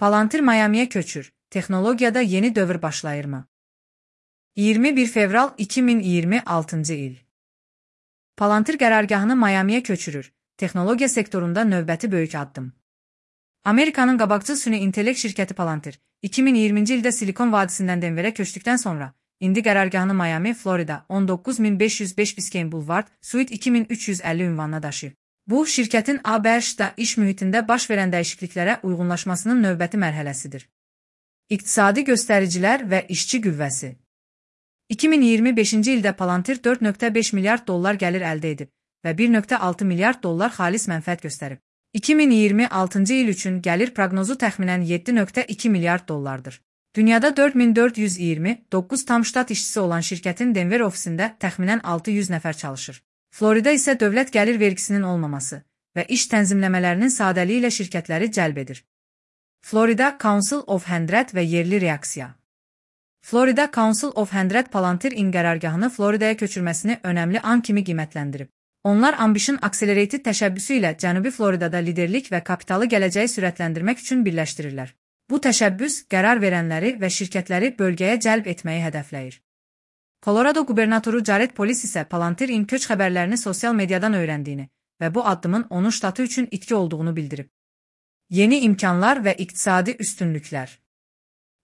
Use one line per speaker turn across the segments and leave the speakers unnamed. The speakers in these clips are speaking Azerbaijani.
Palantir Miami'ye köçür. Texnologiyada yeni dövr başlayırmı? 21 fevral 2026 il. Palantir qərargahını Miami'ye köçürür. Texnologiya sektorunda növbəti böyük addım. Amerikanın qabaqcıl süni intellekt şirkəti Palantir, 2020-ci ildə Silikon vadisindən Denverə köçdükdən sonra, indi qərargahını Miami, Florida, 19505 Biscayne Boulevard, Suite 2350 ünvanına daşıyıb. Bu, şirkətin ABŞ-da iş mühitində baş verən dəyişikliklərə uyğunlaşmasının növbəti mərhələsidir. İqtisadi göstəricilər və işçi qüvvəsi. 2025-ci ildə Palantir 4,5 milyard dollar gəlir əldə edib və 1,6 milyard dollar xalis mənfəət göstərib. 2026-cı il üçün gəlir proqnozu təxminən 7,2 milyard dollardır. Dünyada 4429 tam ştat işçisi olan şirkətin Denver ofisində təxminən 600 nəfər çalışır. Florida isə dövlət gəlir vergisinin olmaması və iş tənzimləmələrinin sadəliyi ilə şirkətləri cəlb edir. Florida Council of 100 və yerli reaksiya. Florida Council of 100 Palantir qərargahını Floridaya köçürməsini önəmli an kimi qiymətləndirib. Onlar Ambition Accelerated təşəbbüsü ilə Cənubi Floridada liderlik və kapitalı gələcəyi sürətləndirmək üçün birləşdirirlər. Bu təşəbbüs qərar verənləri və şirkətləri bölgəyə cəlb etməyi hədəfləyir. Colorado qubernatoru Jared Polis isə Palantir köç xəbərlərini sosial mediadan öyrəndiyini və bu addımın onun ştatı üçün itki olduğunu bildirib. Yeni imkanlar və iqtisadi üstünlüklər.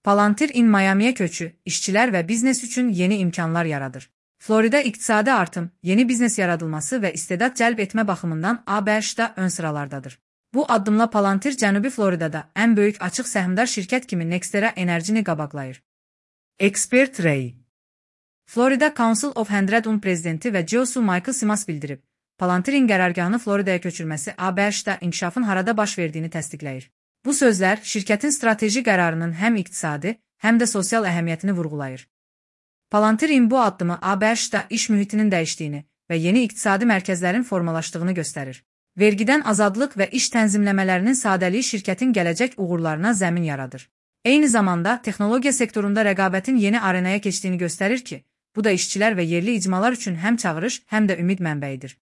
Palantir Miami'ye köçü, işçilər və biznes üçün yeni imkanlar yaradır. Florida iqtisadi artım, yeni biznes yaradılması və istedad cəlb etmə baxımından ABŞ-da ön sıralardadır. Bu addımla Palantir Cənubi Floridada ən böyük açıq səhmdar şirkət kimi Nextera Enerjini qabaqlayır. Expert Ray. Florida Council of 100'un prezidenti və CEO Michael Simas bildirib, Palantirin qərargahını Floridaya köçürməsi ABŞ-da inkişafın harada baş verdiyini təsdiqləyir. Bu sözlər şirkətin strateji qərarının həm iqtisadi, həm də sosial əhəmiyyətini vurğulayır. Palantirin bu addımı ABŞ-da iş mühitinin dəyişdiyini və yeni iqtisadi mərkəzlərin formalaşdığını göstərir. Vergidən azadlıq və iş tənzimləmələrinin sadəliyi şirkətin gələcək uğurlarına zəmin yaradır. Eyni zamanda texnologiya sektorunda rəqabətin yeni arenaya keçdiyini göstərir ki, bu da işçilər və yerli icmalar üçün həm çağırış, həm də ümid mənbəyidir.